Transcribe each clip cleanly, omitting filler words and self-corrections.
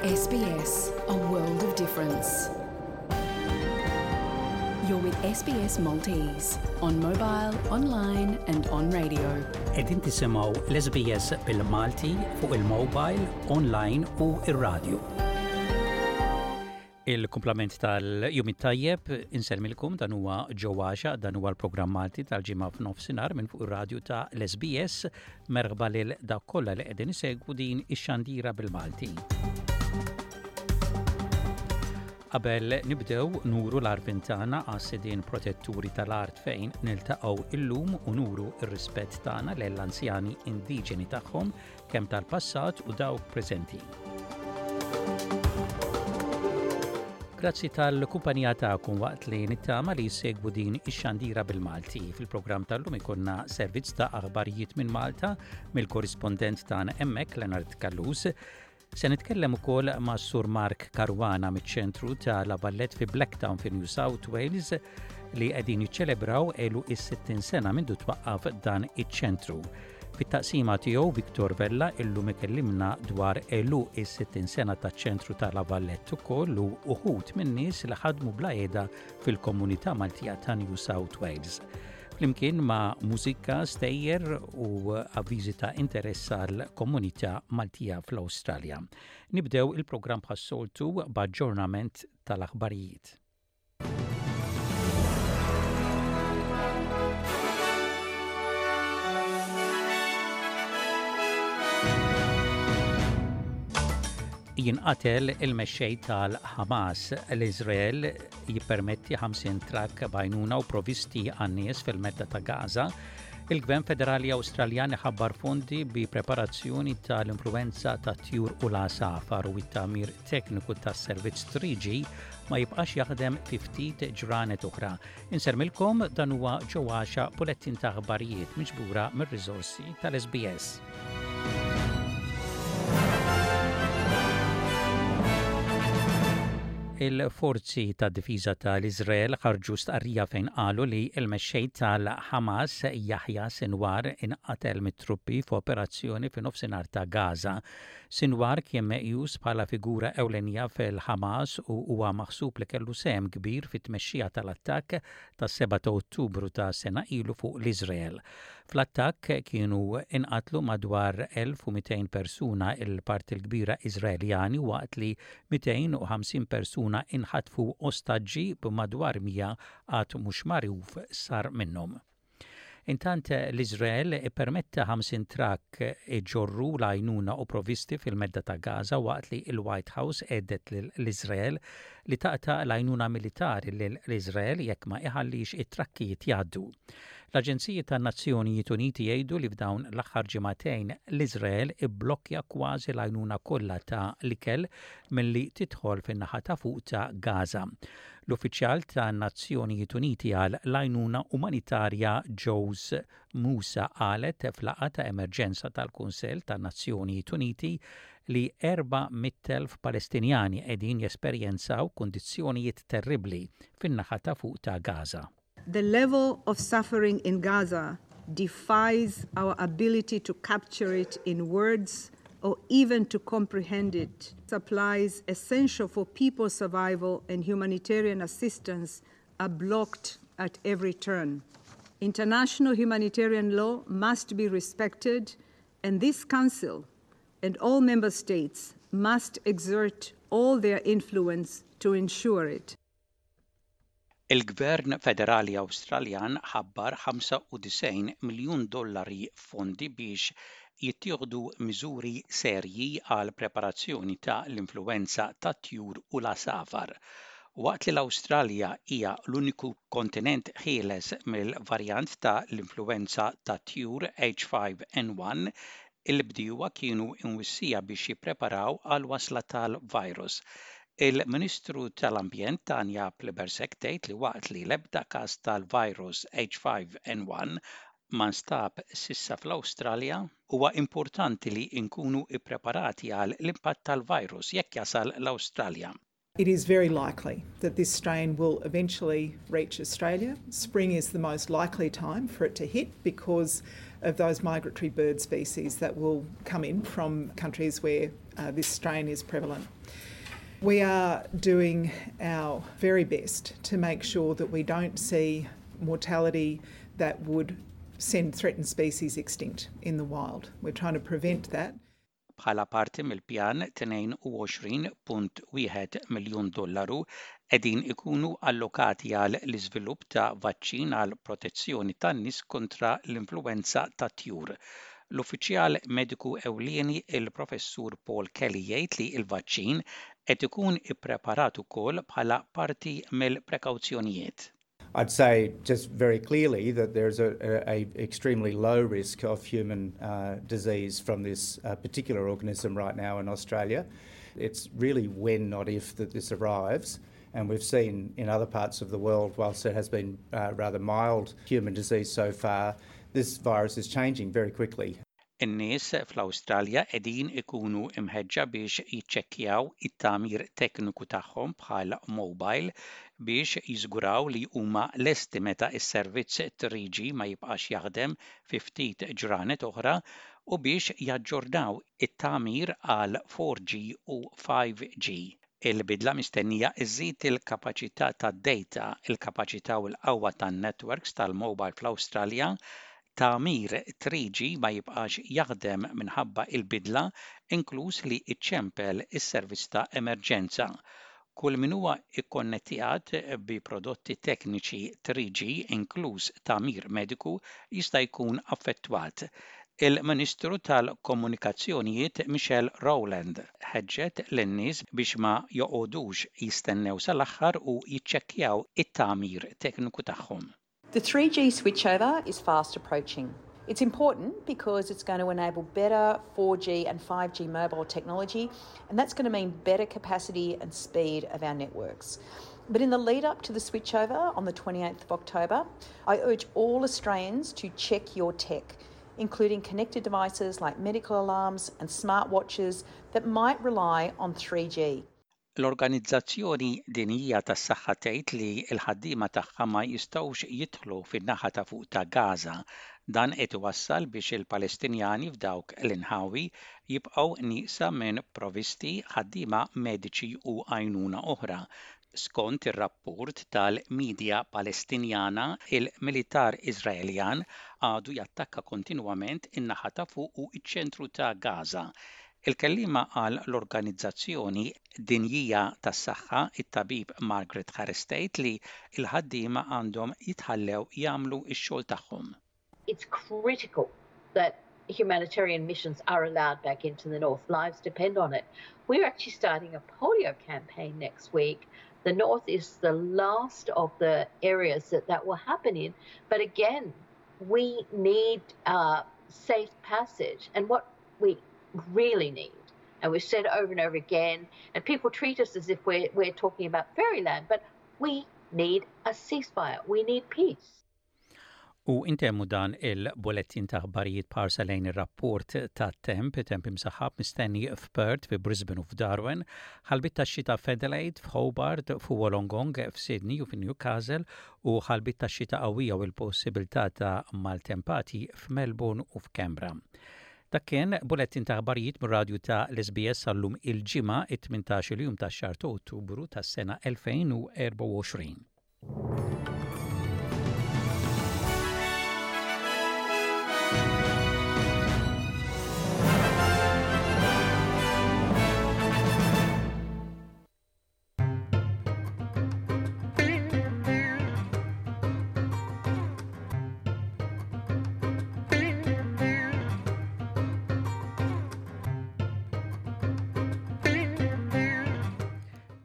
SBS, a world of difference. You're with SBS Maltese on mobile, online and on radio. Qegħdin tisimgħu l-SBS bil-Malti fuq il-mobile, online u ir-radio. Il-kumplament tal-jum it-tajjeb insellmilkom dan huwa Joe Għaxa, dan huwa l-programm Malti tal-ġimgħa f'nofsinhar minn fuq ir-radju ta' l-SBS. Merħba lil dawk kollha li qegħdin isegwu din ix-xandira bil-Malti. Qabel nibdew nuru l-għarfien tagħna għas-sidien protetturi tal-art fejn niltaqgħu illum u nuru r-rispett tagħna lill-anzjani indiġeni tagħhom kemm tal-passat u dawk preżenti. Grazzi tal-kumpanija tagħkom waqt li nittama li jsegwu din ix-xandira bil-Malti. Fil-programm tal-lum ikonna servizz ta' aħbarijiet minn Malta mill-korrispondent tagħna hemmhekk Leonard Callus. Se nitkellem ukoll ma' Sur Mark Caruana miċ-ċentru ta' La Valette fi Blacktown fi New South Wales li qegħdin jiċċelebraw għeluq is-60 sena mindu twaqqaf dan iċ-ċentru. Fit-taqsima tiegħu Victor Vella illum ikellimna dwar għeluq is-60 sena taċ-ċentru ta' La Valette ukoll u uħud min-nies li ħadmu bla qiegħda fil-komunità Maltija ta' New South Wales. Flimkien ma' mużika, stejjer u avviżi ta' interess għall-komunità Maltija fl-Awstralja. Nibdew il-programm bħas-soltu b'aġġornament tal-aħbarijiet. Jinqatel il-mexxej tal-Ħamas, l-Iżrael jippermetti 50 trakk b'għajnuna u provisti għan-nies fil-medda ta' Gaza. Il-Gvern Federali Awstraljan iħabbar fondi bi preparazzjoni tal-influwenza tat-tjur u l-għasafar u t-tagħmir tekniku tas-servizz 3G ma jibqax jaħdem fi ftit ġranet oħra. Insermilkom dan huwa Joe Għaxa bulettin ta' aħbarijiet miġbura mir-riżorsi tal-SBS. Il-forzi ta' difiża tal-Iżrael ħarġu stqarrija fejn qalu li l-mexxej tal-Ħamas Yahya Sinwar inqatel mit-truppi f'operazzjoni fi nofsinhar ta' Gaza. Sinwar kien meqjus bħala figura ewlenija fil-Ħamas u huwa maħsub li kellu sehem kbir fit-tmexxija tal-attakk tas-7 ta' Ottubru ta' sena ilu fuq l-Iżrael. Fl-attakk kienu inqatlu madwar 1,200 persuna, il-parti l-kbira Iżraeljani, waqt li 250 persuna inħatfu ostaġġi b'madwar 100 għad mhux magħruf sar minnhom. Intant l-Iżrael ippermetta 50 trakk iġorru l-għajnuna u provvisti fil-Medda ta' Gaza waqt li l-White House għedet lill-Iżrael li taqta' l-għajnuna militari lill-Iżrael jekk ma iħallix it-trakkijiet jgħaddu. L-aġenziji tan-Nazzjonijiet Uniti jgħidu li f'dawn l-aħħar ġimagħtejn l-Iżrael ibblokkja kważi l-għajnuna kollha ta' l-ikel milli tidħol fin-naħa ta' fuq ta' Gaza. L-uffiċjal tan-Nazzjonijiet Uniti għal l-Għajnuna Umanitarja Jose Moussa qalet f'laqgħa ta' emerġenza tal-Kunsill tan-Nazzjonijiet Uniti li 400,000 Palestinjani qegħdin jesperjenzaw kundizzjonijiet terribbli fin-naħa ta' fuq ta' Gaza. The level of suffering in Gaza defies our ability to capture it in words or even to comprehend it. Supplies essential for people's survival and humanitarian assistance are blocked at every turn. International humanitarian law must be respected, and this Council and all member states must exert all their influence to ensure it. Il-Gvern Federali Awstraljan ħabbar 95 miljun dollari f'fondi biex jittieħdu miżuri serji għall-preparazzjoni ta' l-influwenza tat-tjur u l-għasafar. Waqt li l-Awstralja hija l-uniku kontinent ħieles mill-varjant ta' l-influwenza tat-tjur H5N1, Il-bdiewa kienu mwissija biex jippreparaw għall-wasla tal-virus. Il-Ministru tal-Ambjent Tanya Plibersek tgħid li waqt li l-ebda każ tal-virus H5N1 ma nstab s'issa fl-Awstralja, huwa importanti li nkunu ppreparati għal l-impatt tal-virus jekk jasal l-Awstralja. It is very likely that this strain will eventually reach Australia. Spring is the most likely time for it to hit because of those migratory bird species that will come in from countries where uh, this strain is prevalent. We are doing our very best to make sure that we don't see mortality that would send threatened species extinct in the wild. We're trying to prevent that. Bħala parti mill-pjan, 22.1 miljun dollaru qegħdin ikunu allokati għal l-iżvilupp ta' vaċċin għal protezzjoni tan-nies kontra l-influwenza tat-tjur. L-uffiċjal mediku ewlieni il-Professur Paul Kelly jgħid li l-vaċċin qed ikun ippreparat ukoll bħala parti mill-prekawzjonijiet. I'd say just very clearly that there's a, a, a extremely low risk of human uh, disease from this uh, particular organism right now in Australia. It's really when, not if, that this arrives. And we've seen in other parts of the world, whilst there has been uh, rather mild human disease so far, this virus is changing very quickly. In-nies fl-Awstralja qegħdin ikunu mħeġġa biex jiċċekkjaw it-tagħmir tekniku tagħhom bħal mowbajl biex jiżguraw li huma lesti meta s-servizz 3G ma jibqax jaħdem fi ftit ġranet oħra u biex jaġġornaw it-tagħmir għal 4G u 5G. Il-bidla mistennija żżid il-kapaċità tad-dejta, il-kapaċità u l-qawwa tan-netwerks tal-mowbajl fl-Awstralja. Tagħmir 3G ma jibqax jaħdem minħabba l-bidla, inkluż li ċċempel is-servizz ta' emerġenza. Kull min huwa kkonnettjat bi prodotti tekniċi 3G, inkluż tagħmir mediku, jista' jkun affettwat. Il-Ministru tal-Komunikazzjonijiet Michelle Rowland ħeġġet lin-nies biex ma joqogħdux jistennew sal-aħħar u jiċċekkjaw it-tagħmir tekniku tagħhom. The 3G switchover is fast approaching. It's important because it's going to enable better 4G and 5G mobile technology, and that's going to mean better capacity and speed of our networks. But in the lead up to the switchover on the 28th of October, I urge all Australians to check your tech, including connected devices like medical alarms and smartwatches that might rely on 3G. L-Organizzazzjoni Dinjija tas-Saħħa tgħid li l-ħaddiema tagħha ma jistgħux jidħlu fin-naħa ta' fuq ta' Gaza. Dan qed iwassal biex il-Palestinjani f'dawk l-inħawi jibqgħu nieqsa minn provisti, ħaddiema mediċi u għajnuna oħra. Skont ir-rapport tal-midja Palestinjana, il-militar Iżraeljan għadu jattakka kontinwament in-naħa ta' fuq u ċ-ċentru ta' Gaza. Il-kelliema għal l-Organizzazzjoni Dinjija tas-Saħħa, it-Tabib Margaret Harris tgħid li l-ħaddiema għandhom jitħallew jagħmlu x-xogħol tagħhom. It's critical that humanitarian missions are allowed back into the north. Lives depend on it. We're actually starting a polio campaign next week. The north is the last of the areas that that will happen in. But again, we need uh, safe passage. And what we really need, and we've said over and over again, and people treat us as if we're, we're talking about fairyland, but we need a ceasefire. We need peace. U intemmu dan il-bulettin ta' aħbarijiet b'ħarsa lejn ir-rapport tat-temp, temp imsaħħab mistenni f'Perth, fi Brisbane u f'Darwin, ħalbiet tax-xita f'Adelaide, f'Hobart, f'Wollongong, f'Sydney u f'Newcastle u ħalbiet tax-xita qawwija u l-possibilità ta' maltempati f'Melbourne u f'Canberra. Dak kien bulettin ta' aħbarijiet mir-radju ta' l-SBS għal-lum il-Ġimgħa, it-18 il-jum tax-xahar ta' Ottubru tas-sena 2024.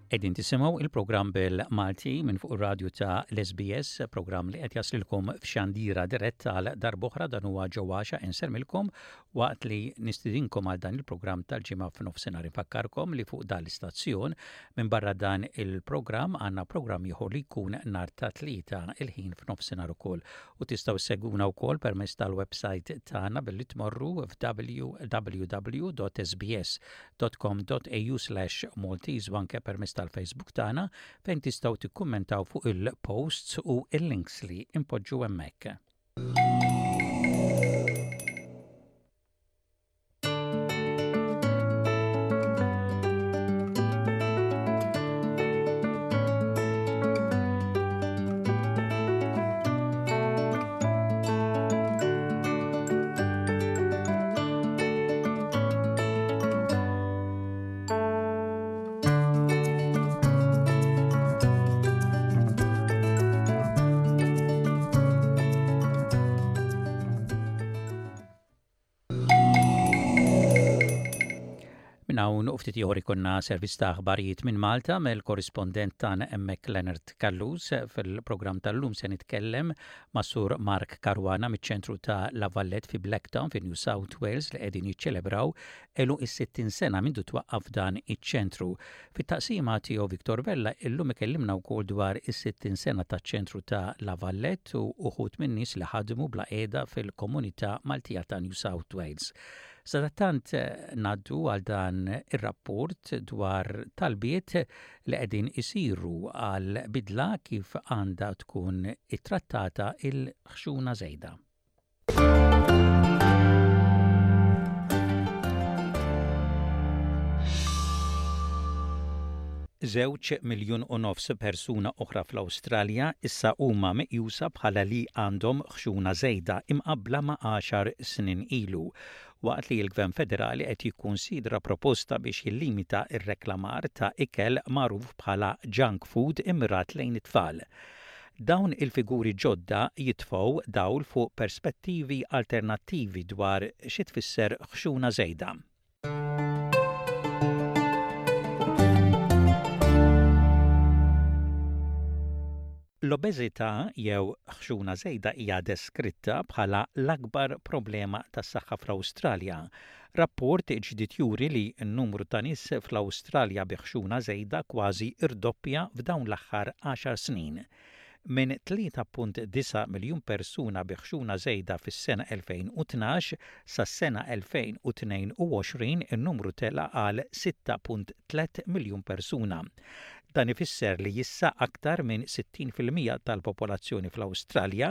Qegħdin tisimgħu il-programm bil-Malti minn fuq ir-radju ta' l-SBS, programm li qed jaslilkom f'xandira diretta għal darb'oħra dan huwa ġewwaxa insermilkom waqt li nistidinkom għal dan il-programm tal-ġimgħa f'nofsinhar. Infakkarkom li fuq dan l-istazzjon minbarra dan il-programm għandna programm ieħor li jkun nhar ta' Tlieta il-ħin f'nofsinhar ukoll u tistgħu ssegwuna wkoll permezz tal-website tagħna billi tmorru f'www.sbs.com.au/maltese u anke permezz tal-Facebook tagħna fejn tistgħu tikkummentaw fuq il-posts u l-links li npoġġu hemmhekk. Minn hawn u ftit ieħor ikollna servizz ta' aħbarijiet minn Malta mill-korrispondent tagħna hemmhekk Leonard Callus. Fil-programm tal-lum se nitkellem ma' Sur Mark Caruana miċ-ċentru ta' La Valette fi Blacktown fi New South Wales li qegħdin jiċċelebraw għeluq is-60 sena mindu twaqqaf dan iċ-ċentru. Fit-taqsima tiegħu Victor Vella illum ikellimna wkoll dwar is-60 sena taċ-ċentru ta' La Valette u uħud min-nies li ħadmu bla qiegħda fil-komunità Maltija ta' New South Wales. Sadattant ngħaddu għal dan ir-rapport dwar talbiet li qegħdin isiru għal bidla kif għandha tkun ittrattata il-ħxuna żejda. Żewġ miljun u nofs persuna oħra fl-Awstralja issa huma meqjusa bħala li għandhom ħxuna żejda imqabbla ma' għaxar snin ilu, waqt li l-Gvern Federali qed jikkunsidra proposta biex jillimita r-reklamar ta' ikel magħruf bħala junk food immirat lejn it-tfal. Dawn il-figuri ġodda jitfgħu dawl fuq perspettivi alternattivi dwar xi tfisser ħxuna żejda. L-obeżità jew ħxuna żejda hija deskritta bħala l-akbar problema tas-saħħa fl-Awstralja. Rapport ġdid juri li n-numru ta' nies fl-Awstralja bi ħxuna żejda kważi rdoppja f'dawn l-aħħar għaxar snin. Minn 3.9 miljun persuna bi ħxuna żejda fis-sena 2012 sas-sena 2022 in-numru tela' għal 6.3 miljun persuna. Dan ifisser li issa aktar minn 60% tal-popolazzjoni fl-Awstralja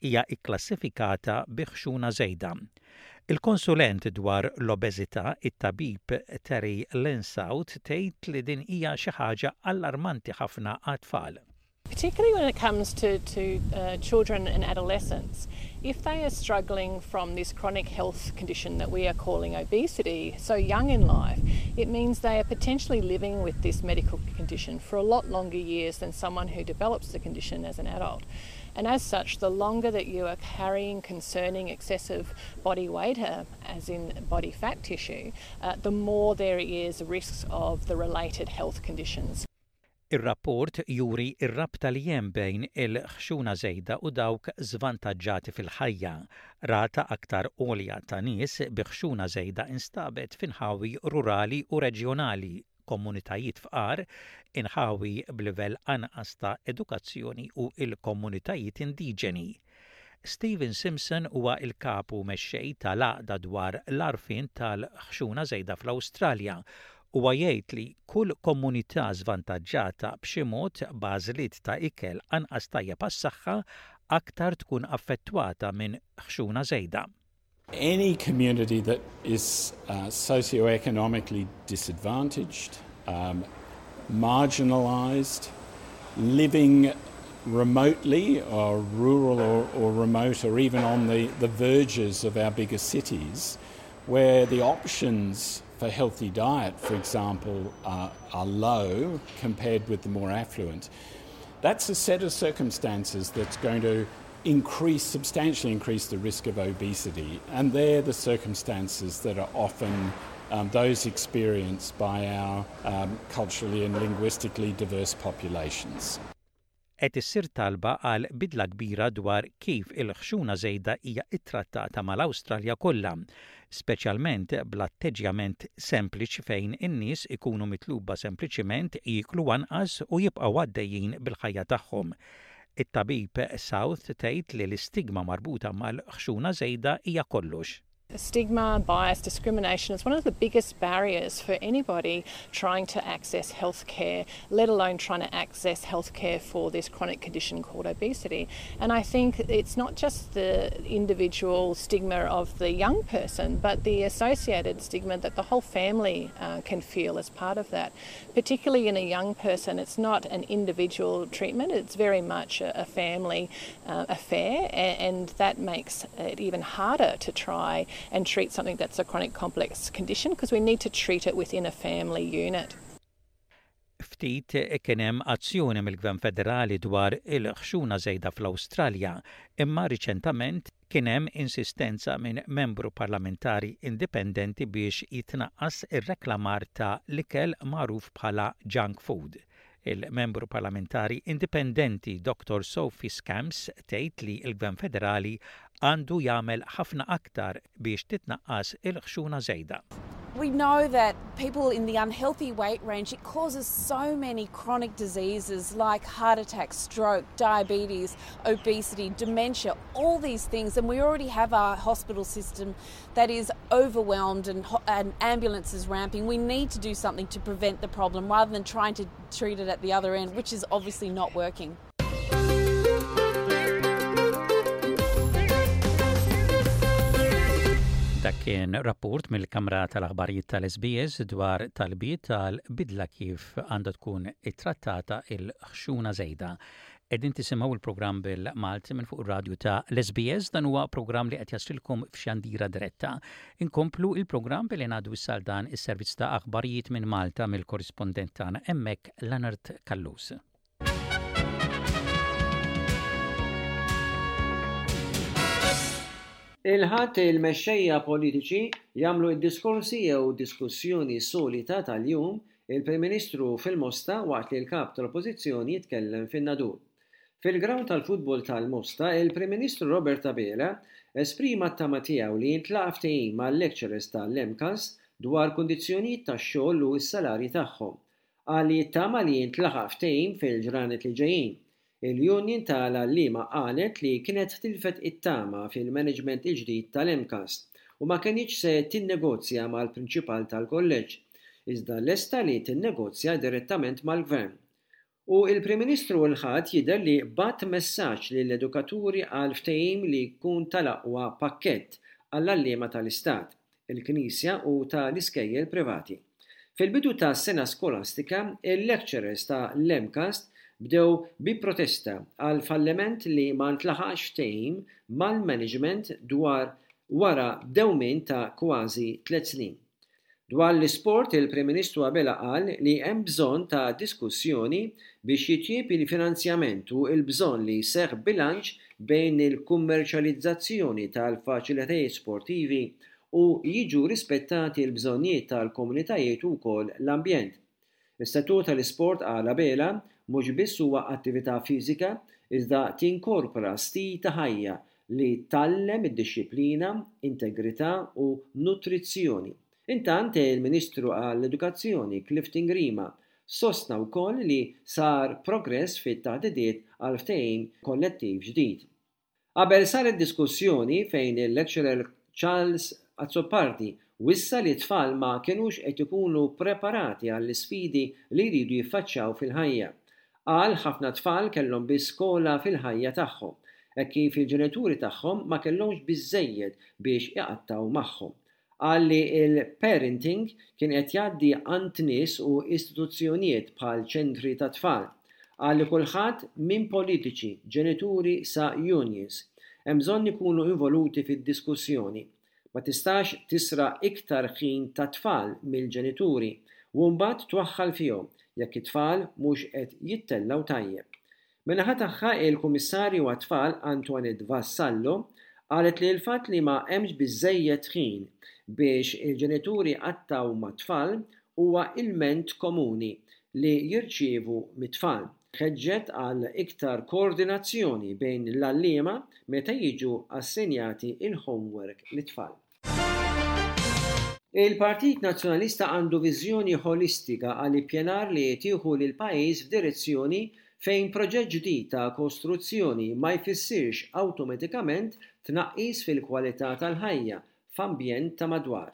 hija kklassifikata bi ħxuna żejda. Il-konsulent dwar l-obeżità, it-tabib Terry Lynsout tgħid li din hija xi ħaġa allarmanti ħafna għat-tfal. Particularly when it comes to, to uh, children and adolescents, if they are struggling from this chronic health condition that we are calling obesity so young in life, it means they are potentially living with this medical condition for a lot longer years than someone who develops the condition as an adult. And as such, the longer that you are carrying concerning excessive body weight, uh, as in body fat tissue, uh, the more there is risks of the related health conditions. Ir-rapport juri r-rabta li hemm bejn il-ħxuna żejda u dawk żvantaġġati fil-ħajja. Rata aktar għolja ta' nies bi ħxuna żejda instabet f'inħawi rurali u reġjonali, komunitajiet fqar, inħawi b'livell anqas ta' edukazzjoni u l-komunitajiet indiġeni. Stephen Simpson huwa l-Kap u Mexxej tal-Għaqda dwar l-Għarfien tal-Ħxuna Żejda fl-Awstralja. Huwa jgħid li kull komunità żvantaġġata b'xi mod b'għażliet ta' ikel anqas tajjeb għas-saħħa aktar tkun affettwata minn ħxuna żejda. Any community that is uh, socioeconomically disadvantaged, um, marginalised, living remotely or rural or, or remote or even on the, the verges of our bigger cities, where the options for healthy diet, for example, are, are low compared with the more affluent. That's a set of circumstances that's going to increase, substantially increase the risk of obesity. And they're the circumstances that are often um, those experienced by our um, culturally and linguistically diverse populations. Qed issir talba għal bidla kbira dwar kif il-ħxuna żejda hija ttrattata mal-Awstralja kollha, speċjalment bl-atteġġjament sempliċi fejn in-nies ikunu mitluba sempliċiment jieklu anqas u jibqgħu għaddejjin bil-ħajja tagħhom. It-tabib South tgħid li l-istigma marbuta mal-ħxuna żejda hija kollox. Stigma, bias, discrimination is one of the biggest barriers for anybody trying to access healthcare, let alone trying to access healthcare for this chronic condition called obesity. And I think it's not just the individual stigma of the young person, but the associated stigma that the whole family uh, can feel as part of that. Particularly in a young person, it's not an individual treatment, it's very much a, a family uh, affair, and, and that makes it even harder to try and treat something that's a chronic complex condition because we need to treat it within a family unit. Ftit kien hemm azzjoni mill-Gvern Federali dwar il-ħxuna żejda fl-Awstralja, imma riċentament Kien hemm insistenza minn membru parlamentari indipendenti biex jitnaqqas ir-reklamar ta' l-ikel magħruf bħala junk food. Il-membru parlamentari indipendenti Dottor Sophie Scamps tgħid li l-Gvern Federali għandu jagħmel ħafna aktar biex titnaqqas il-ħxuna żejda. We know that people in the unhealthy weight range, it causes so many chronic diseases like heart attack, stroke, diabetes, obesity, dementia, all these things. And we already have our hospital system that is overwhelmed and, and ambulances ramping. We need to do something to prevent the problem rather than trying to treat it at the other end, which is obviously not working. Dak kien rapport mill-Kamra tal-Aħbarijiet tal-SBS dwar talbiet tal-bidla kif għandha tkun ittrattata il-ħxuna żejda. Qegħdin tisimgħu l-programm bil-Malti minn fuq ir-radju ta' l-SBS, dan huwa programm li qed jaslilkom f'xandira diretta. Inkomplu il-programm billi ngħaddu issa għal dan is-servizz ta' aħbarijiet minn Malta mill-korrispondent tagħna hemmhekk Leonard Callus. Il-Ħadd il-mexxejja politiċi jagħmlu d-diskorsi jew diskussjoni solita tal-jum il-Prim Ministru fil-Mosta waqt li l-Kap tal-Oppożizzjoni jitkellem fin-Nadur. Fil-grawnd tal-futbol tal-Mosta, il-Prim Ministru Robert Abela esprima t-tama tiegħu li jintlaqa' ftehim mal-lecturers tal-MCAST dwar kundizzjonijiet tax-xogħol u s-salarji tagħhom. Qal li jittama li jintlaħaq ftehim fil-ġranet li ġejjin. Il-union ta' l-għalliema qalet li kienet tilfet it-tama fil-management il-ġdid tal-MCAST u ma kenitx se tinnegozja mal-prinċipal tal-kolleġġ, iżda lesta li tinnegozja direttament mal-Gvern. U l-Prim Ministru l-Ħadd jidher li bagħat messaġġ lill-edukaturi għal ftehim li jkun tal-aqwa pakkett għall-għalliema tal-Istat. il-Knisja u ta' l-iskejjel privati. Fil-bidu tas-sena skolastika, il-lecturers ta' l-MCAST bdew bi protesta għall-falliment li ma ntlaħaqx ftehim mal-management dwar wara dewmien ta' kważi tlett snin. Dwar l-isport, il-Prim Ministru Abela qal li hemm bżonn ta' diskussjoni biex jitjieb il-finanzjament u l-bżonn li jseħħ bilanċ bejn il-kummerċjalizzazzjoni tal-faċilitajiet sportivi u jiġu rispettati l-bżonnijiet tal-komunitajiet u wkoll l-ambjent. Is-settur tal-isport qal Abela mhux biss huwa attività fiżika iżda tinkorpora stil ta' ħajja li tgħallem id-dixxiplina, integrità u nutrizzjoni. Intant, il-Ministru għall-Edukazzjoni Clifton Grima sostna wkoll li sar progress fit-taħdidiet għal ftehim kollettiv ġdid. Qabel saret diskussjoni fejn il-lecturer Charles Azzopardi wissa li t-tfal ma kinux qed ikunu preparati għall-isfidi li jridu jiffaċċjaw fil-ħajja. Qal ħafna tfal kellhom biss skola fil-ħajja tagħhom, hekk kif il-ġenituri tagħhom ma kellhomx biżżejjed biex iqattgħu magħhom. Qal li l-parenting kien qed jgħaddi għand nies u istituzzjonijiet bħal ċentri tat-tfal. Qal li kulħadd minn politiċi, ġenituri sa unions, hemm bżonn ikunu involuti fid-diskussjoni. Ma tistax tisraq iktar ħin tat-tfal mill-ġenituri u mbagħad twaħħal fihom jekk it-tfal mhux qed jittellgħu tajjeb. Min-naħa tagħha, il-Kummissarju għat-Tfal Antoinette Vassallo qalet li l-fatt li ma hemmx biżżejjed ħin biex il-ġenituri jqattgħu mat-tfal huwa ilment komuni li jirċievu mit-tfal. Ħeġġet għal iktar koordinazzjoni bejn l-għalliema meta jiġu assenjati l-homework lit-tfal. Il-Partit Nazzjonalista għandu viżjoni ħolistika għal ippjanar li tieħu lill-pajjiż f'direzzjoni fejn proġett ġdid ta' kostruzzjoni ma jfissirx awtomatikament tnaqqis fil-kwalità tal-ħajja f'ambjent ta' madwar.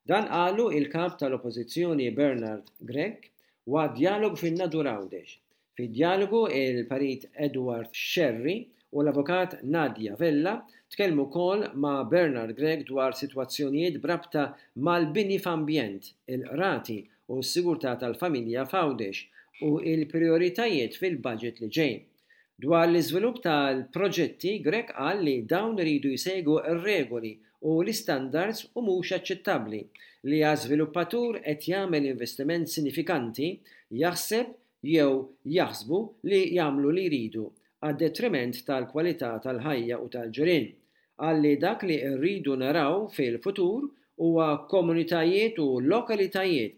Dan qalu il-Kap tal-Oppożizzjoni Bernard Grech waqt djalogu fin-Nadur Għawdex. Fid-djalogu, il-Perit Edward Scerri u l-Avukat Nadia Vella tkellmu wkoll ma' Bernard Grech dwar sitwazzjonijiet b'rabta mal-bini f'ambjent, il-qrati u s-sigurtà tal-familja f'Għawdex u l-prijoritajiet fil-budget li ġej. Dwar l-iżvilupp tal-proġetti, Grech qal li dawn iridu jsegwu r-regoli u l-istandards u mhux aċċettabbli li għax żviluppatur qed jagħmel investiment sinifikanti jaħseb jew jaħsbu li jagħmlu li jridu għad-detriment tal-kwalità tal-ħajja u tal-ġirien. Qal li dak li rridu naraw fil-futur huwa komunitajiet u lokalitajiet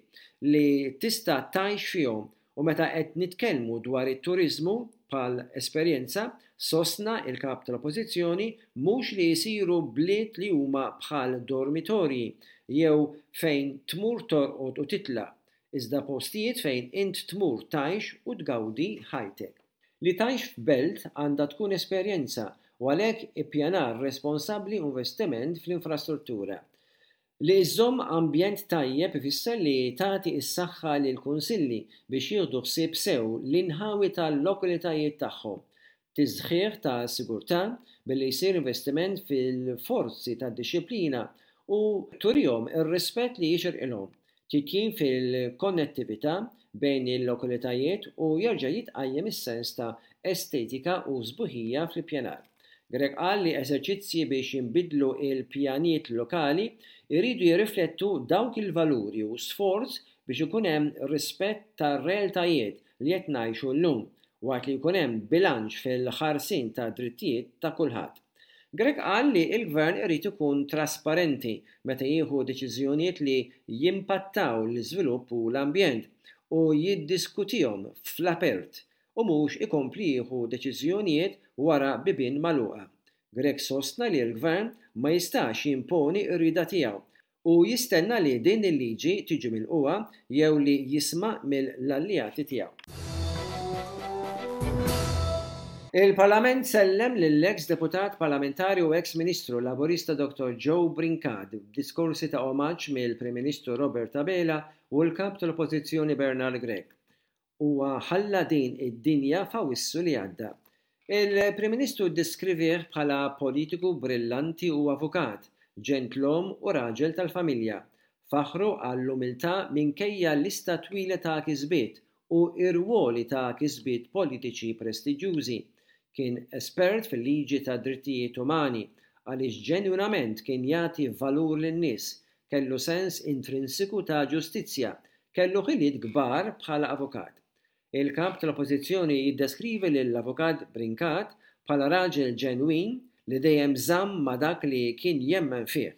li tista' tgħix fihom u meta qed nitkellmu dwar it-turiżmu bħal esperjenza, sostna l-Kap tal-Oppożizzjoni, mhux li jsiru bliet li huma bħal dormitorji jew fejn tmur torqod u titlaq, iżda postijiet fejn int tmur tgħix u tgawdi ħajtek. Li tgħix f'belt għandha tkun esperjenza u għalhekk ippjanar responsabbli u investiment fl-infrastruttura. Li żżomm ambjent tajjeb ifisser li tagħti s-saħħa lill-kunsilli biex jieħdu ħsieb sew l-inħawi tal-lokalitajiet tagħhom. Tisħiħ ta' sigurtà billi jsir investiment fil-forzi tad-dixxiplina u turihom ir-rispett li jixirqilhom. Titjib fil-konnettività bejn il-lokalitajiet u jerġa' jitqajjem is-sens ta' estetika u sbuħija fl-ippjanar. Grech qal li eżerċizzji biex jinbidlu l-pjanijiet lokali jridu jirriflettu dawk il-valuri u sforz biex ikun hemm rispett tar-realtajiet li qed ngħixu llum, waqt li jkun hemm bilanċ fil-ħarsien tad-drittijiet ta' kulħadd. Grech qal li l-Gvern irid ikun trasparenti meta jieħu deċiżjonijiet li jimpattaw l-iżvilupp u l-ambjent u jiddiskutihom fl-apert u mhux ikompli jieħu deċiżjonijiet wara bibien magħluqa. Grech sostna li l-Gvern ma jistax jimponi r-rieda tiegħu u jistenna li din il-liġi tiġi milqugħa jew li jisma' mill-alleati tiegħu. Il-Parlament sellem lill-eks Deputat Parlamentari u eks Ministru Laburista Dottor Joe Brincat b'diskorsi ta' omaġġ mill-Prim Ministru Robert Abela u l-Kap tal-Oppożizzjoni Bernard Grech. Huwa ħalla din id-dinja f'Awissu li għadda. Il-Prim Ministru ddeskrivieh bħala politiku brillanti u avukat, ġentlom u raġel tal-familja. Faħħru għall-umiltà minkejja lista twila ta' kisbiet u irwoli ta' kisbiet politiċi prestiġjużi. Kien espert fil-liġi tad-drittijiet umani għaliex ġenwinament kien jagħti valur lin-nies, kellu sens intrinsiku ta' ġustizzja, kellu ħiliet kbar bħala avukat. Il-Kap tal-Oppożizzjoni jiddeskrivi lill-Avukat Brincat bħala raġel ġenwin li dejjem żamm ma' dak li kien jemmen fih.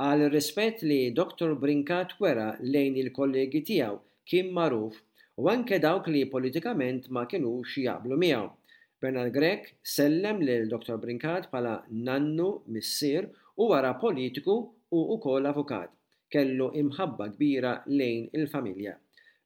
Qal ir-rispett li Dottor Brincat wera lejn il-kollegi tiegħu kien magħruf u anke dawk li politikament ma kinux jaqblu miegħu. Bernard Grech sellem lil Dottor Brincat bħala nannu, missier u wara politiku u wkoll avukat. Kellu imħabba kbira lejn il-familja.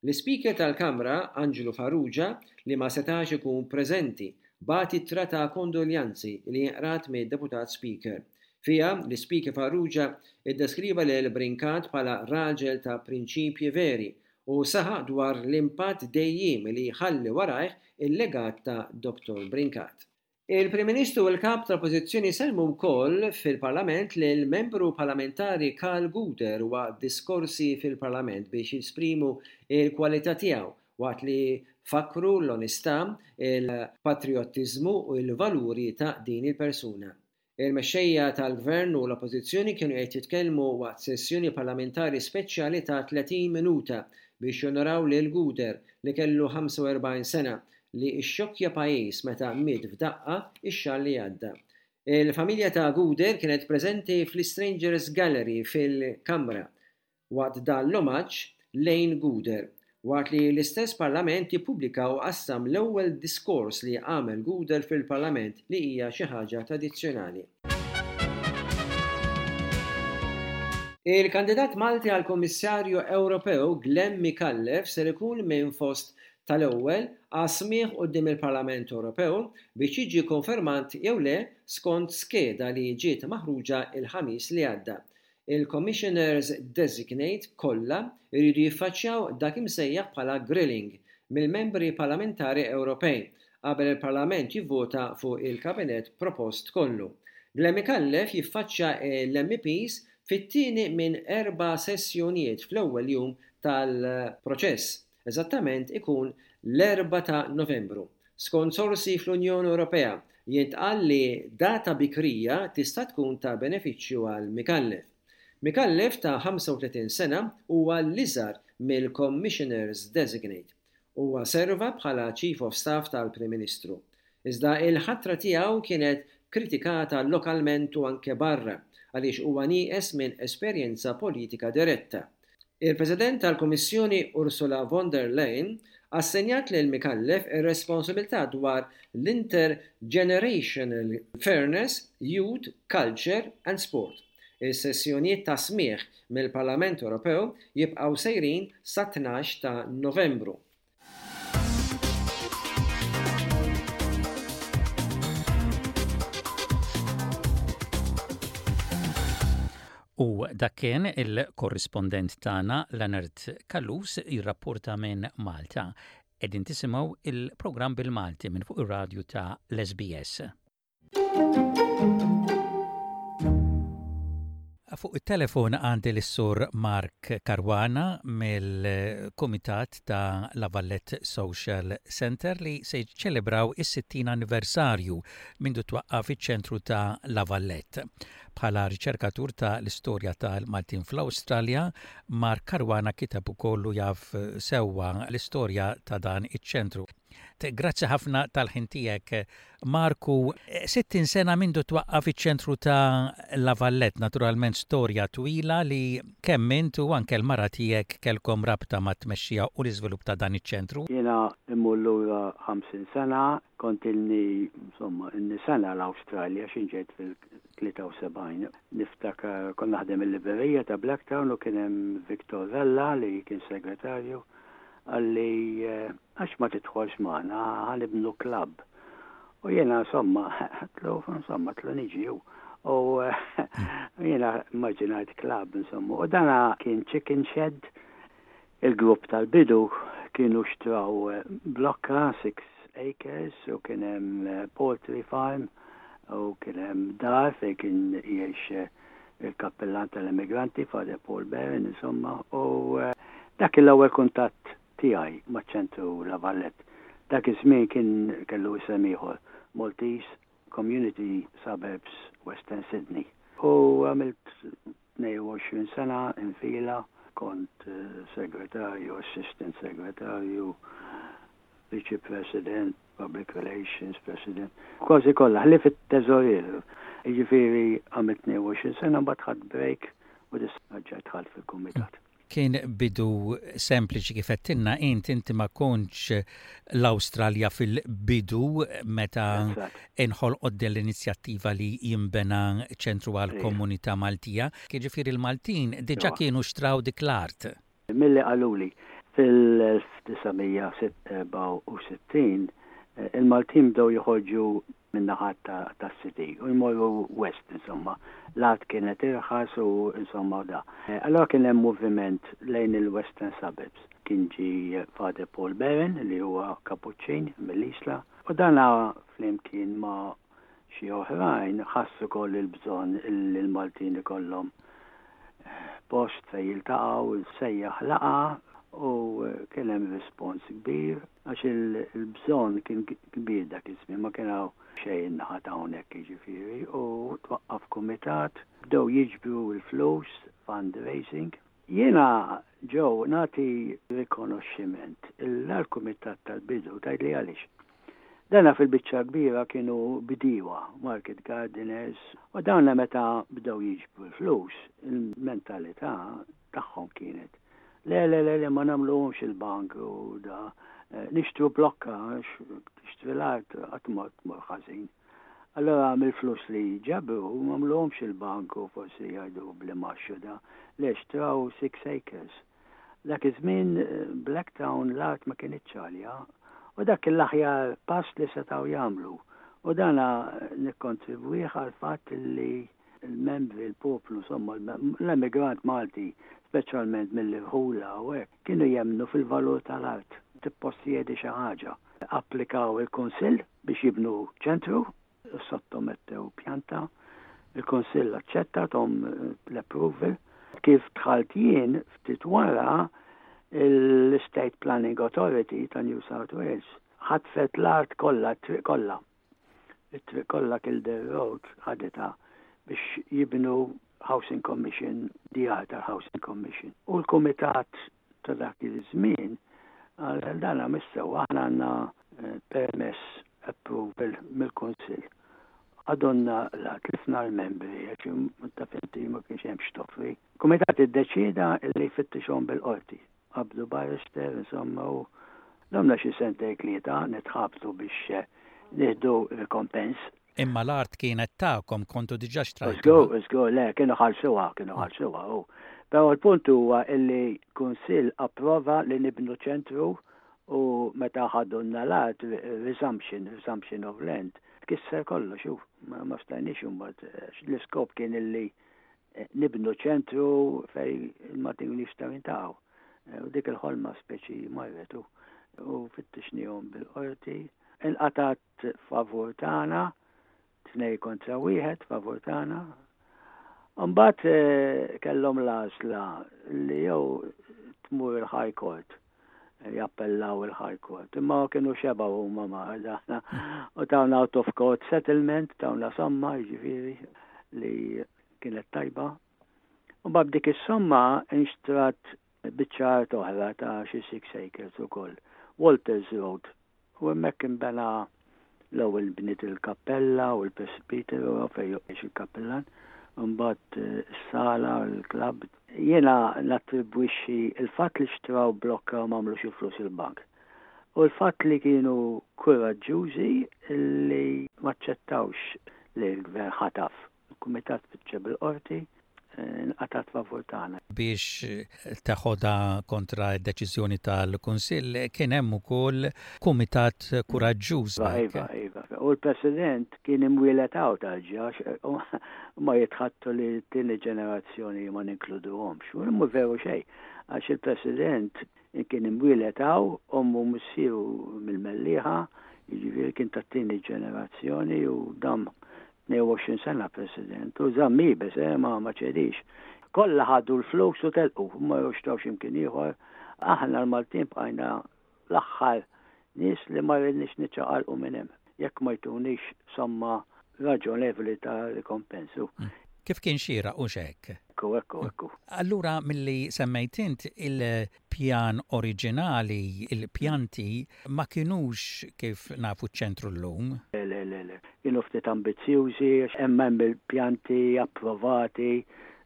L-Ispeaker tal-Kamra, Anġlu Farrugia, li ma setax ikun preżenti, bagħat ittra ta' kondoljanzi li inqrat mid-Deputat Speaker. Fiha, l-Ispeaker Farrugia ddeskriva lil Brincat bħala raġel ta' prinċipji veri u saħaq dwar l-impatt dejjiemi li jħalli warajh il-legat ta' Dottor Brincat. Il-Prim Ministru u l-Kap tal-Oppożizzjoni sellmu wkoll fil-Parlament lill-Membru Parlamentari Karl Gouder waqt diskorsi fil-Parlament biex jesprimu l-kwalità tiegħu waqt li fakkru l-onestà, il-patrijottiżmu u l-valuri ta' din il-persuna. Il-mexxejja tal-Gvern u l-Oppożizzjoni kienu qed jitkellmu waqt sessjoni parlamentari speċjali ta' 30 minuta biex jonoraw lil Gouder, li kellu 45 sena, li xxokkja pajjiż meta miet f'daqqa x-xahar li għadda. Il-familja ta' Gouder kienet preżenti fl-Istrangers Gallery fil-Kamra. waqt dan l-omaġġ lejn Gouder, waqt li l-istess Parlament ippubblika u qassam l-ewwel diskors li għamel Gouder fil-Parlament li hija xi ħaġa tradizzjonali. Il-kandidat Malti għal Kummissarju Ewropew Glenn Micallef ser ikun minn fost tal-ewwel għas-smigħ quddiem il-Parlament Ewropew biex jiġi konfermat jew le skont skeda li ġiet maħruġa l-Ħamis li għadda. Il-Commissioners Designate kollha jridu jiffaċċjaw dak imsejjaħ bħala grilling mill-Membri Parlamentari Ewropej qabel il-Parlament jivvota fuq il-Kabinett propost kollu. Glenn Micallef jiffaċċja l-MEPs fit-tieni minn erba' sessjonijiet fl-ewwel jum tal-proċess, eżattament ikun l-Erbgħa ta' Novembru. Skont sorsi fl-Unjoni Ewropea, jintqal li data bikrija tista' tkun ta' benefiċċju għal Micallef. Micallef ta' 35 sena huwa l-iżgħar mill-Commissioners Designate. Huwa serva bħala Chief of Staff tal-Prim Ministru. Iżda il-ħatra tiegħu kienet kritikata lokalment u anke barra għaliex huwa nieqes minn esperjenza politika diretta. Il-President tal-Kummissjoni Ursula von der Leyen assenjat lil Micallef ir-responsabilità dwar l-Intergenerational Fairness, Youth, Culture and Sport. Is-sessjonijiet ta' smigħ mill-Parlament Ewropew jibqgħu sejrin sat-tnax ta' Novembru. U dak kien il-korrispondent tagħna Leonard Callus jirrapporta minn Malta. Qegħdin tisimgħu il-programm bil-Malti minn fuq ir-radju ta' l-SBS. Fuq it-telefon għandi lis-Sur Mark Caruana mill-Kumitat ta' La Vallette Social Centre li se jiċċelebraw is-60 anniversarju mindu twaqqaf iċ-ċentru ta' La Vallette. Bħala riċerkatur ta' l-istorja tal-Maltin fl-Awstralja, Mark Caruana kiteb ukoll u jaf sewwa l-istorja ta' dan iċ-ċentru. Grazzi ħafna tal-ħin tiegħek Marku. 60 sena mindu twaqqaf iċ-ċentru ta' La Vallette, naturalment storja twila li kemm int u anke l-mara tiegħek kellkom rabta mat-tmexxija u l-iżvilupp ta' dan iċ-ċentru. Jiena immur lura 50 sena, kont ilni, insomma, ilni sena l-Awstralja x'in ġejt fil-73. Niftakar kont naħdem il-librerija ta' Blacktown u kien hemm Victor Vella li kien segretarju, qalli Għax ma tidħolx magħna, ħa nibnu klabb. U jiena insomma, għedtlu, insomma, għedtlu niġi u. U jiena immaġinajt klabb, insomma. U dana kien chicken shed. Il-grupp tal-bidu kienu xtraw blokka, 6 acres, u kien hemm poultry farm, u kien hemm dar fejn kien jgħix il-kappillan tal-immigranti, Father Paul Barron, insomma. U dak kien l-ewwel kuntatt tiegħi maċ-Ċentru La Vallette. Dak iż-żmien kien kellu isem ieħor, Maltese Community Suburbs Western Sydney. U għamilt 22 sena infila, kont segretarju, assistant segretarju, viċi president, public relations president, kważi kollha, ħlief it-teżorier. Jiġifieri għamilt 22 sena mbagħad ħadt break u issa dħalt fil-kumitat. Kien bidu sempliċi kif għedtilna int, inti ma kontx l-Awstralja fil-bidu meta inħolqot din l-inizjattiva li jinbena ċentru għall-komunità Maltija. Jiġifieri l-Maltin diġà kienu xtraw dik l-art. Milli qaluli, fil-1964 il-Maltin bdew joħorġu min-naħa tas-city u jmorru west insomma. L-art kienet irħas u insomma u da. Allura kien hemm moviment lejn il-western suburbs. Kien ġie Father Paul Barron li huwa Kapuċċin mill-Isla u dana flimkien ma' xi oħrajn ħass ukoll il-bżonn li l-Maltin ikollhom post fejn jiltaqgħu, sejjaħ laqgħa u kien hemm rispons kbir. Għax il-bżonn kien kbir dak iż-żmien, ma kien hawn xejn in-naħa ta' hawnhekk jiġifieri, u twaqqaf kumitat, bdew jiġbru l-flus, fundraising. Jiena, Joe, nagħti rikonoxximent l-kumitat tal-bidu, tgħidli għaliex? Dana fil-biċċa l-kbira kienu bdiewa, market gardeners, u dawna meta bdew jiġbru l-flus, il-mentalità tagħhom kienet Le, le, le, le, ma nagħmluhomx il-bank u da. Nixtru blokka, tixtri l-art qatt ma tmur ħażin. Allora mill-flus li ġabru m'għamluhomx il-bank u forsi jgħidu bl-imgħax u da. Le, xtraw 6 acres. Dak iż-żmien Blacktown l-art ma kinitx għalja u dak kien l-aħjar pass li setgħu jagħmlu. U dana nikkontribwih għall-fatt li il-membri, il-poplu, insomma, l-emigrant Malti, speċjalment mill-irħula u hekk, kienu jemmnu fil-valur tal-art. Tippossjedi xi ħaġa. Applikaw il-Kunsill biex jibnu ċentru, sottomettew pjanta, il-Kunsill aċċetta thom l-approval. Kif dħalt jien ftit wara l-Estate Planning Authority ta' New South Wales ħatfet l-art kollha, t-triq kollha. It-triq kollha Kildare Road ħaditha biex jibnu Housing Commission, djar tal-Housing Commission. U l-kumitat ta' dak iż-żmien qal dan mhux sewwa, aħna għandna permess approval mill-Kunsill. Ħadulna l-art, tlifna l-membri għax taf inti ma kienx hemm x'toffri. Kumitat iddeċieda li jfittixhom bil-qorti. Qabdu barrister insomma u domna xi sentejn tlieta nitħabtu biex nieħdu rikompens. Imma l-art kienet tagħkom, kontu diġà xtrajtuha. Żgur, żgur, le, kienu ħallsuha, kienu ħallsuha u. Però l-punt huwa illi kunsill approva li nibnu ċentru u meta ħadulna l-art, resumption, resumption of land, tkisser kollox u ma stajniex imbagħad l-iskop kien illi nibnu ċentru fejn il-Maltin jistgħu jintaqgħu. U dik il-ħolma speċi marret u fittixnihom bil-qorti. Inqatgħet favur tagħna, 2 kontra 1 favur tagħna. Mbagħad eh, kellhom l-għażla li jew tmur il-High Court jappellaw il-High Court. Imma kienu xebgħu huma ma' dana. U tawna out of court settlement, tawna somma, jiġifieri li kienet tajba. U bab dik is-somma inxtrat biċċa art oħra ta' xi 6 acres ukoll, Walters Road. U hemmhekk inbena l-ewwel bniet il-kappella u l-presbiteru fejn joqgħod il-kappillan, imbagħad is-sala, il-klabb. Jiena nattribwixxi l-fatt li xtraw blokka u m'għamlux il-flus il-bank. U l-fatt li kienu kuraġġużi li m'aċċettawx li l-gvern ħataf. Il-kumitat spiċċa bil-qorti, inqatgħet favur tagħna. Biex teħodha kontra d-deċiżjoni tal-Kunsill kien hemm ukoll kumitat kuraġġuż. Iva, iva, iva. U l-President kien imwieled hawn tal-ġa, huma jitħaddtu li t-tieni ġenerazzjoni ma ninkluduhomx. U mhu veru xejn, għax il-President Kien imwieled hawn, ommu u missieru mill-Mellieħa, jiġifieri kien tat-tieni ġenerazzjoni u dam 22 sena President u żamm iebes, eh, ma ma ċedix. Kollha ħadu l-flus u telqu, marru xtraw xi mkien ieħor. Aħna l-Maltin bqajna l-aħħar nies li ma ridniex niċċaqalqu minn hemm jekk ma jtunix somma raġonevoli ta' rikompens. Kif kien xieraq hux hekk? Ekku, ekku, ekku. Allura milli semmejt int il-pjan oriġinali, il-pjanti ma kinux kif nafu ċ-ċentru llum. Le, le, le, le. Kienu ftit ambizzjużi għax hemm hemm il-pjanti approvati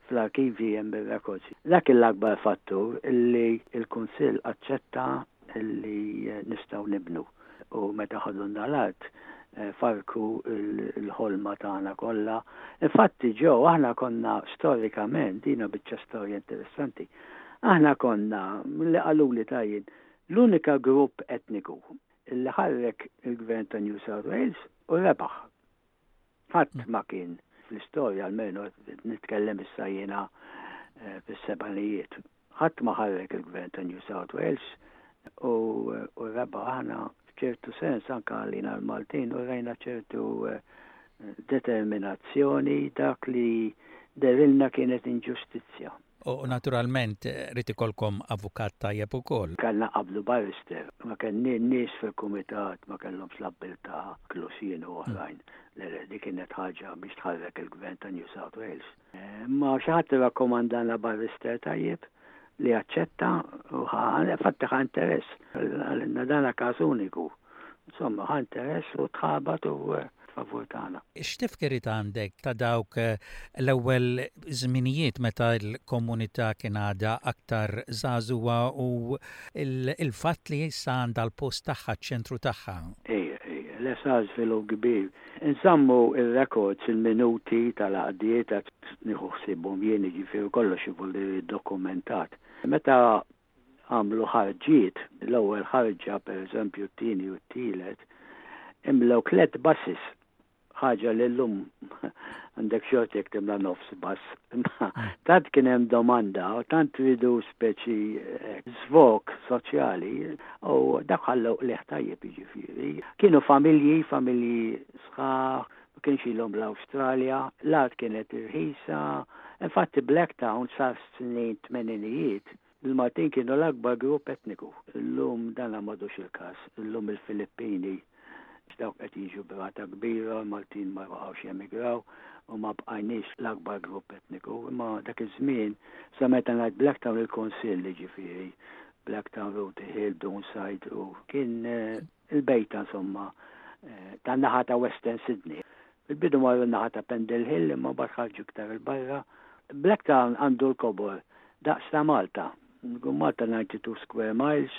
fl-arkivji hemm ir-records. Dak kien l-akbar fattur illi l-Kunsill aċċetta li nistgħu nibnu u meta ħadulna l-art farrku l-ħolma tagħna kollha. Infatti Joe aħna konna storikament, dina biċċa storja interessanti, aħna konna, milli qaluli ta' jien, l-unika grupp etniku li ħarrek il-gvern ta' New South Wales u rebaħ. Ħadd ma kien fl-istorja almenu nitkellem issa jiena eh, fis-sebgħinijiet. Ħadd ma ħarrek il-gvern ta' New South Wales u, u rebaħ aħna f'ċertu sens anke għalina l-Maltin u rejna ċertu eh, determinazzjoni dak li derilna kienet inġustizzja. U naturalment ried ikollkom avukat tajjeb ukoll. Kellna qablu barrister. Ma kellni nies fil-kumitat ma kellhomx l-abbiltà inkluż jien u oħrajn. Le le, dik kienet ħaġa biex tħarrek il-Gvern ta' New South Wales. Imma xi ħadd irrakkomandalna barrister tajjeb li aċċetta u ħa, infatti ħa interess. Qalilna dan każ uniku. Insomma, ħa interess u tħabat u favur tagħna. X'tifkiriet għandek ta' dawk l-ewwel żminijiet meta l-komunità kien għadha aktar żagħżugħa u l-fatt li issa għandha l-post tagħha, ċ-ċentru tagħha? Ejja, ejja, le sar żvilupp kbir. Inżammu r-records, il-minuti tal-għaqdiet, nieħu ħsiebhom jien, jiġifieri kollox ivolli ddokumentat. Meta għamlu ħarġiet, l-ewwel ħarġa pereżempju t-tieni u t-tielet, imlew tlett buses, ħaġa li llum għandek xorti jekk timla nofs bus. Imma tant kien hemm domanda u tant ridu speċi eh, żvog soċjali u dak ħallew qligħ tajjeb jiġifieri. Kienu familji, familji sħaħ, ma kienx ilhom l-Awstralja, l-art kienet irħisa. Infatti Blacktown sa snin tmeninijiet, il-Maltin kienu l-akbar grupp etniku. Illum dan m'għadux il-każ. Illum il-Filippini dawk qed jiġu b'rata kbira, l-Maltin ma baqgħux jemigraw u ma bqajniex l-akbar grupp etniku. Imma dak iż-żmien, sa meta ngħid Blacktown il-Kunsill jiġifieri, Blacktown, Rooty Hill, Doonside u kien eh, il-bejta insomma eh, tan-naħa ta' Western Sydney. Fil-bidu marru n-naħa ta' Pendle Hill imma mbagħad ħarġu iktar 'il barra. Blacktown għandu l-kobor daqs ta' Malta. Malta 92 square miles,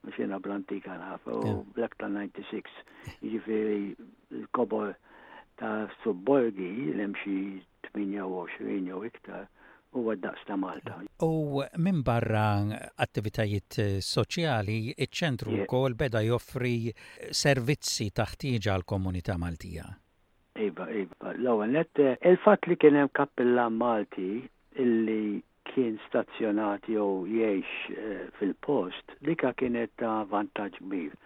mhux jiena bl-antika naf, u Blacktown 96. Jiġifieri l-kobor ta' subborgi li hemm xi 28 jew iktar huwa d-daqs ta' Malta. U minbarra attivitajiet soċjali, iċ-ċentru wkoll beda joffri servizzi ta' ħtieġa għall-komunità Maltija. Iva, iva. L-ewwel nett, il-fatt li kien hemm kappillan Malti illi kien stazzjonat jew jgħix fil-post, dika kienet ta' vantaġġ kbir.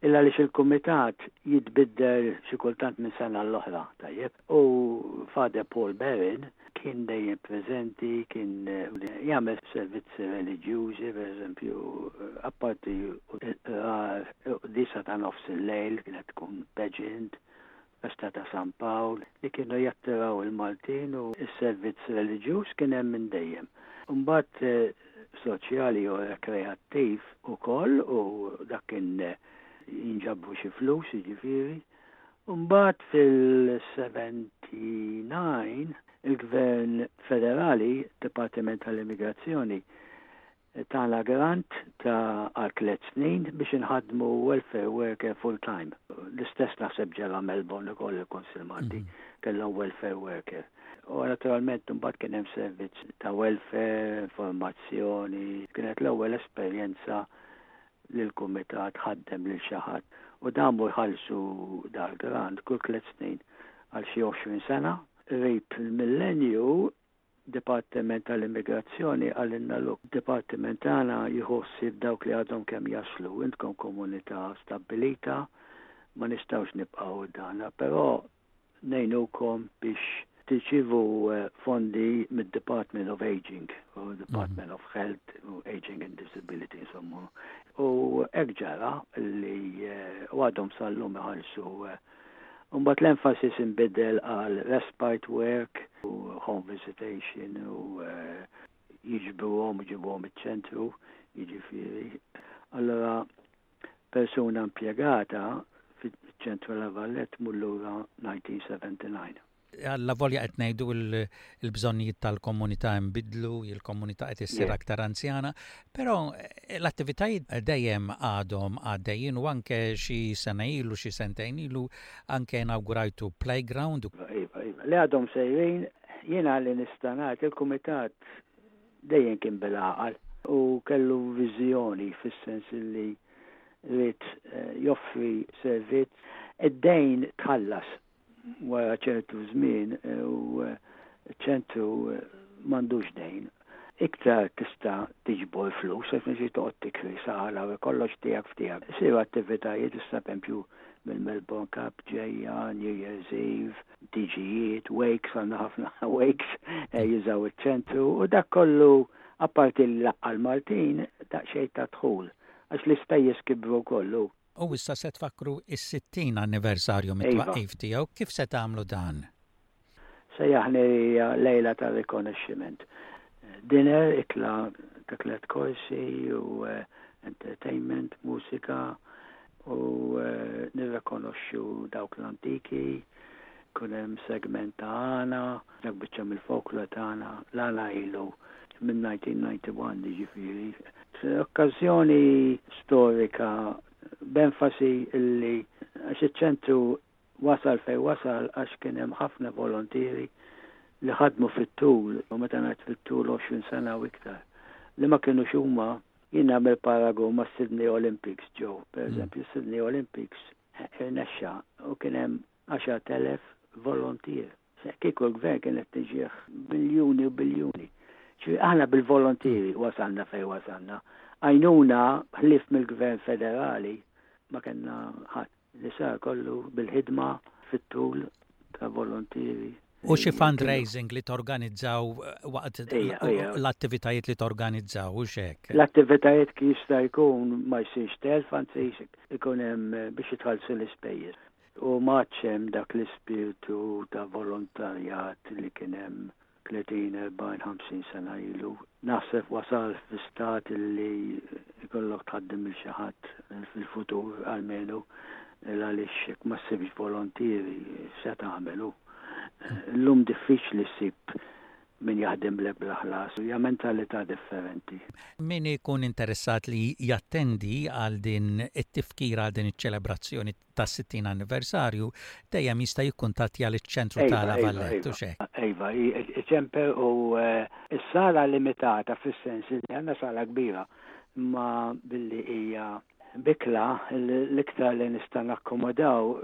Il għaliex il-kumitat jitbiddel xi kultant minn sena għall-oħra, tajjeb. U Father Paul Barron kien dejjem preżenti, kien jagħmel servizzi reliġjużi, pereżempju, apparti l-qrar, quddiesa ta' nofs il-lejl kienet tkun pageant, festa ta' San Pawl, li kienu jattiraw il-Maltin u s-servizz reliġjuż kien hemm minn dejjem. Imbagħad soċjali u rekreattiv ukoll u dak kien jinġabru xi flus jiġifieri. Imbagħad fil-79 il-Gvern Federali, Dipartiment tal-Immigrazzjoni, tana grant ta' għal tliet snin biex inħaddmu welfare worker full time. L-istess naħseb ġara Melbourne ukoll il-Kunsill Malti kellhom welfare worker. U naturalment imbagħad kien hemm servizz ta' welfare, informazzjoni, kienet l-ewwel esperjenza li l-kumitat ħaddem lil xi ħadd u damu jħallsu dal-grant kull tliet snin għal xi 20 sena. Qrib il-millenju, Dipartiment tal-Immigrazzjoni qalilna look, dipartiment tagħna jieħu ħsieb dawk li għadhom kemm jaslu, intkom komunità stabbilita, ma nistgħux nibqgħu dana, però ngħinukom biex tirċievu fondi mid-Department of Aging u Department of Health u Aging and Disability insomma. U hekk ġara li u għadhom sal-lum iħallsu. Mbagħad l-emphasis inbidel għal respite work u home visitation u jiġbruhom u jġibuhom iċ-ċentru, jiġifieri. Allora Persuna impjegata fiċ-Ċentru La Valette tmur lura 1979. Allavolja qed ngħidu l-bżonnijiet tal-komunità nbidlu, il-komunità qed issir aktar anzjana, però l-attivitajiet dejjem għadhom għaddejjin u anke xi sena ilu, xi sentejn ilu anke inawgurajtu playground. Iva, iva. Li għadhom sejrin, jiena li nista' ngħid il-kumitat dejjem kien bil-għaqal u kellu viżjoni fis-sens li ried joffri servizz. Id-dejn tħallas wara ċertu żmien u ċ-ċentru m'għandux dejn. Iktar tista' tiġbor flus għax mhux toqgħod tikri sala u kollox tiegħek f'tiegħek. Isiru attivitajiet issa pereżempju mill-Melbourne Cup ġejja, New Year's Eve, tiġijiet, wakes, għandna ħafna wakes eh, jużaw iċ-ċentru u dak kollu apparti l-laqqa l-Maltin daqsxejn ta' dħul għax l-ispejjeż kibru kollu. U issa se tfakkru is-60 anniversarju mit-twaqqif tiegħu, kif se tagħmlu dan? Sejjaħni lejla ta' rikonoxximent. Dinner, ikla ta' tliet korsi u eh, entertainment, mużika u eh, nirrikonoxxu dawk l-antiki, kun hemm segment ta' għana, dak biċċa mill-folklor tagħna, l-għana ilu minn 1991 jiġifieri. Okkażjoni storika b'enfasi illi għax iċ-ċentru Wasal fejn wasal għax kien hemm ħafna volontieri li ħadmu fit-tul, u meta ngħid fit-tul 20 sena u iktar, li ma kinux huma. Jien nagħmel paragun mas-Sydney Olympics, Joe. Per eżempju, Sydney Olympics irnexxa u kien hemm 10,000 volontier. Kieku l-gvern kien qed tiġih biljuni u biljuni. Ġifieri aħna bil-volontieri wasalna fejn wasalna. Għajnuna ħlief mill-gvern federali ma kellna ħadd. Li sar kollu bil-ħidma fit-tul ta' volontieri. U xi fundraising li torganizzaw waqt l-attivitajiet li torganizzaw u xek? L-attivitajiet kif jista' jkun ma jsirx telf, anzi ikun hemm biex jitħallsu l-ispejjeż. U m'għadx hemm dak l-ispirtu ta' volontarjat li kien hemm 30, 40, 50 sena ilu. Naħseb wasal fi stat li jkollok tħaddem lil xi ħadd fil-futur almenu. Għaliex jekk ma ssibx volontieri x'se tagħmel hu? Illum diffiċli ssib min jaħdimlek bla ħlas. Hija mentalità differenti. Min ikun interessat li jattendi għal din it-tifkira, għal din iċ-ċelebrazzjoni tas-60 anniversarju, dejjem jista' jikkuntattja liċ-ċentru ta' La Vallette, hux hekk? Iva, iċempel u s-sala limitata fis-sens li għandna sala kbira, imma billi hija Bikla, l-iktar li nista' nakkomodaw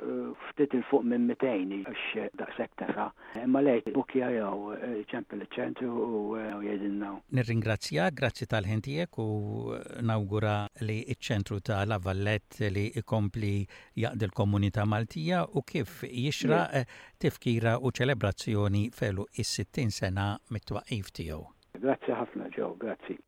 ftit 'il fuq minn 200 għax daqshekk tesa'. Imma le, bbukkja jew ċempel iċ-ċentru u jgħidilna. Nirringrazzjak, grazzi tal-ħin tiegħek u nawgura li ċ-ċentru ta' La Vallette li jkompli jaqdi l-komunità Maltija u kif jixraq tifkira u ċelebrazzjoni f'għeluq is-60 sena mit-twaqqif tiegħu. Grazzi ħafna Joe, grazzi.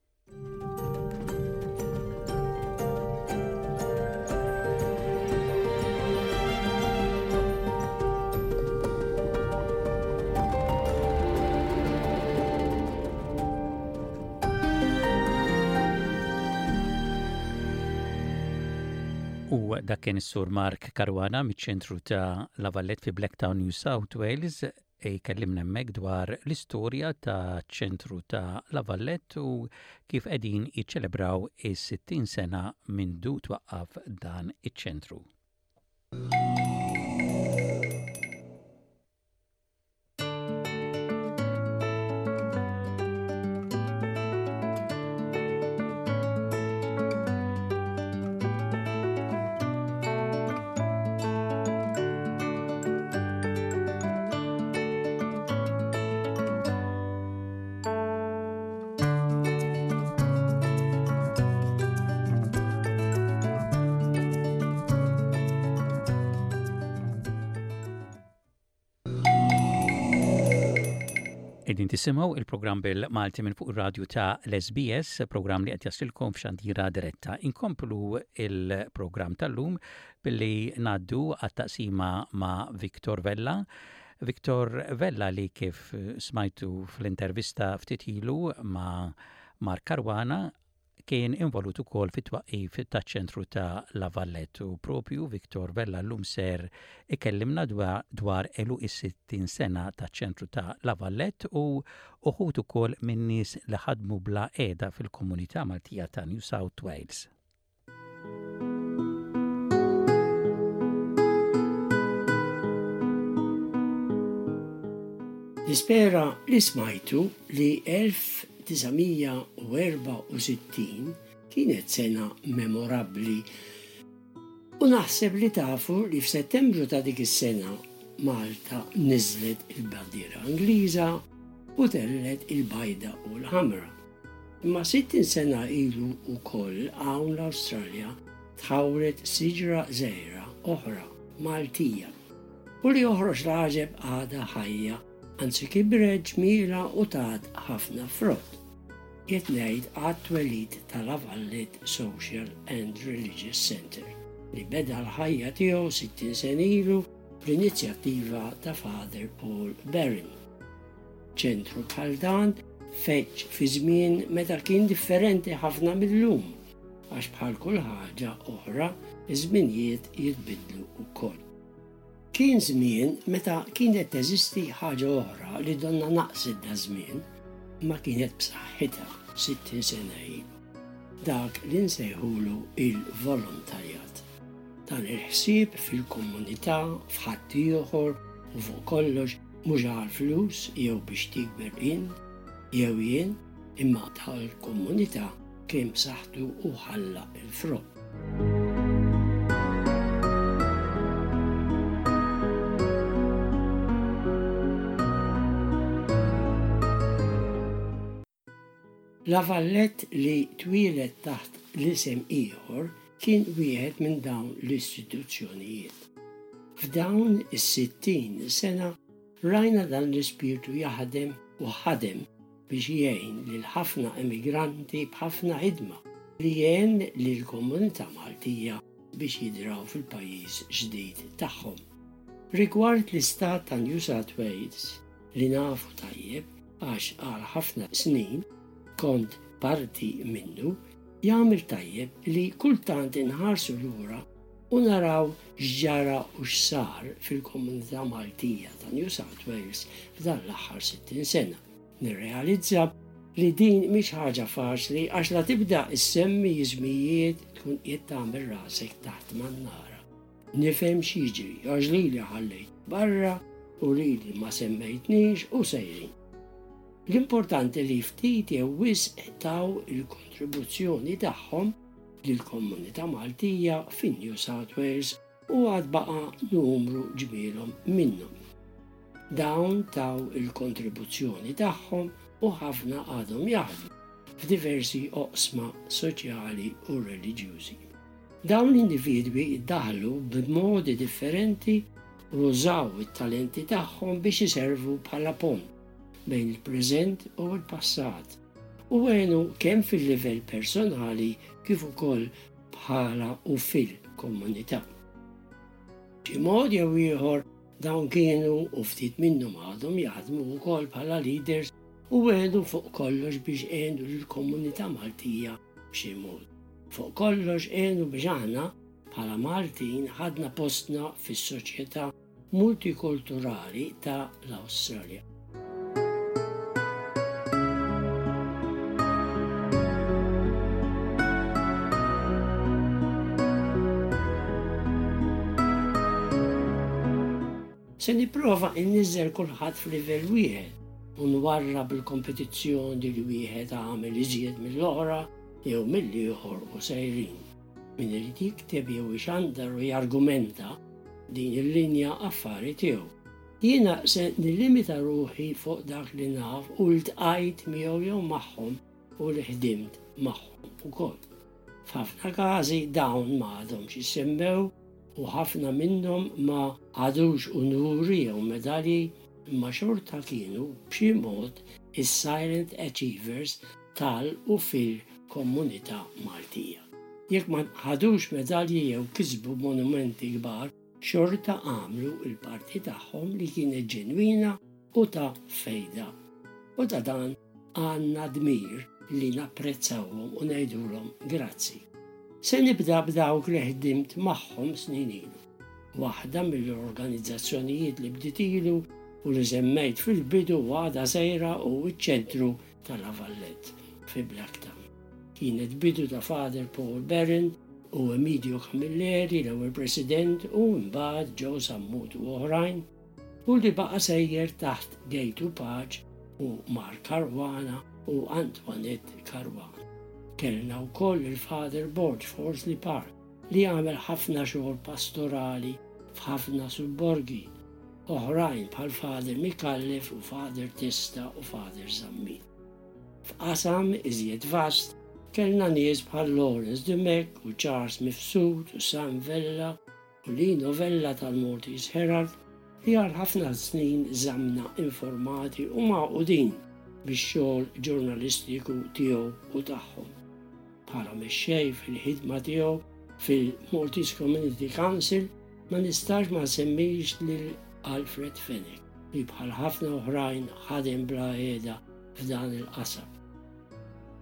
U dak kien is-Sur Mark Caruana miċ-ċentru ta' La Vallette fi Blacktown, New South Wales, Jkellimna hemmhekk dwar l-istorja ta' ċentru ta' La Vallette u kif qegħdin jiċċelebraw is-60 sena mindu twaqqaf dan iċ-ċentru. Qegħdin tisimgħu il-programm bil-Malti minn fuq ir-radju ta' l-SBS, programm li qed jaslilkom f'xandira diretta. Inkomplu il-programm tal-lum billi ngħaddu għat-taqsima ma' Victor Vella. Victor Vella li kif smajtu fl-intervista ftit ilu ma' Mark Caruana kien involut ukoll fit-twaqqif taċ-ċentru ta' La Vallette u propju Victor Vella llum ser ikellimna dwar għeluq is-60 sena taċ-ċentru ta' La Vallette u uħud ukoll min-nies li ħadmu bla qiegħda fil-komunità Maltija ta' New South Wales. Nispera li smajtu li 1964 kienet sena memorabbli u naħseb li tafu li f'Settembru ta' dik is-sena Malta niżlet il-bandiera Ingliża u tellgħet il-bajda u l-ħamra. Imma 60 sena ilu wkoll hawn l-Awstralja tħawret siġra żgħira oħra Maltija u li joħroġ l-għaġeb għadha ħajja, anzi kibret ġmielha u tat ħafna frott. Qiegħed ngħid għat-twelid ta' La Valette Social and Religious Centre li beda l-ħajja tiegħu 60 sena ilu bl-inizjattiva ta' Father Paul Barron. Ċentru bħal dan feġġ fi żmien meta kien differenti ħafna mil-lum, għax bħal kull ħaġa oħra ż-żminijiet jitbiddlu wkoll. Kien żmien meta kienet teżisti ħaġa oħra li donnha naqset daż-żmien, imma kienet b'saħħitha 60 sena ilu. Dak li nsejħulu il-volontarjat. Dan il-ħsieb fil-komunità, f'ħaddieħor u fuq kollox mhux għall-flus jew biex tikber int jew jien imma tal-komunità kien b'saħħtu u ħalla l-frott. La Vallette li twieled taħt l-isem ieħor kien wieħed minn dawn l-istituzzjonijiet. F'dawn is-60 sena rajna dan l-ispirtu jaħdem u ħadem biex jgħin lil ħafna emigranti b'ħafna ħidma li għen lill-komunità Maltija biex jidraw fil-pajjiż ġdid tagħhom. Rigward l-istat ta' New South Wales, li nafu tajjeb għax għal ħafna snin kont parti minnu, jagħmel tajjeb li kultant inħarsu lura u naraw x'ġara u x'sar fil-komunità Maltija ta' New South Wales f'dan l-aħħar 60 sena. Nirrealizza li din mhix ħaġa faċli għax la tibda issemmi iżmijiet tkun qiegħed tagħmel rasek taħt mannara. Nifhem x'jiġri għax lili ħallejt barra u lili ma semmejtnix u sejrin. L-importanti li ftit jew wisq taw il-kontribuzzjoni tagħhom lill-komunità Maltija fi New South Wales u għad baqa' numru ġmielhom minnhom. Dawn taw il-kontribuzzjoni tagħhom u ħafna għadhom jaħdmu f'diversi oqsma soċjali u reliġjużi. Dawn l-individwi ddaħlu b'modi differenti u użaw it-talenti tagħhom biex iservu bħala pont bejn il-preżent u l-passat u għenu kemm fil-livell personali kif ukoll bħala u fil-komunità. B'xi mod jew ieħor dawn kienu u ftit minnhom għadhom jaħdmu wkoll bħala leaders u għenu fuq kollox biex għenu lill-komunità Maltija b'xi mod. Fuq kollox għenu biex aħna bħala Maltin ħadna postna fis-soċjetà multikulturali ta' l-Awstralja. Se nipprova inniżżel kulħadd f'livell wieħed u nwarrab il-kompetizzjoni li wieħed għamel iżjed mill-oħra jew mill-ieħor u sejrin. Min irid jikteb jew ixandar u jargumenta din il-linja affari tiegħu. Jiena se nillimita ruħi fuq dak li naf u ltqajt miegħu jew magħhom u li ħdimt magħhom ukoll. F'ħafna każi dawn ma għadhomx jissemmew u ħafna minnhom ma ħadux unuri jew medalji imma xorta kienu b'xi mod is-silent achievers tal u fil-komunità Maltija. Jekk ma ħadux medalji jew kisbu monumenti kbar, xorta għamlu l-parti tagħhom li kienet ġenwina u ta' fejda. U ta' dan għandna dmir li napprezzawhom u ngħidulhom grazzi. Se nibda b'dawk li ħdimt magħhom snin ilu. Waħda mill-organizzazzjonijiet li bdiet ilu u li semmejt fil-bidu għadha sejra hu ċ-Ċentru ta' La Valette fi Blacktown. Kienet bidu ta' Father Paul Barron u Emidio Camilleri, l-ewwel President, u imbagħad Joe Sammut u oħrajn, u li baqa' sejjer taħt Gejtu Pace u Mark Caruana u Antoinette Caruana. Kellna wkoll il-Father Borg f'Horsley Park li għamel ħafna xogħol pastorali f'ħafna subborgi oħrajn bħal Father Micallef u Father Testa u Father Zammit. F'qasam iżjed vast kellna nies bħal Lawrence Dimech u Charles Mifsud u Sam Vella u Lino Vella tal-Maltese Herald li għal ħafna snin żammna informati u magħqudin bix-xogħol ġurnalistiku tiegħu u tagħhom. Bħala mexxej fil-ħidma tiegħu fil-Maltese Community Council ma nistax ma nsemmix lil Alfred Fenech li bħal ħafna oħrajn ħadem bla heda f'dan il-qasam.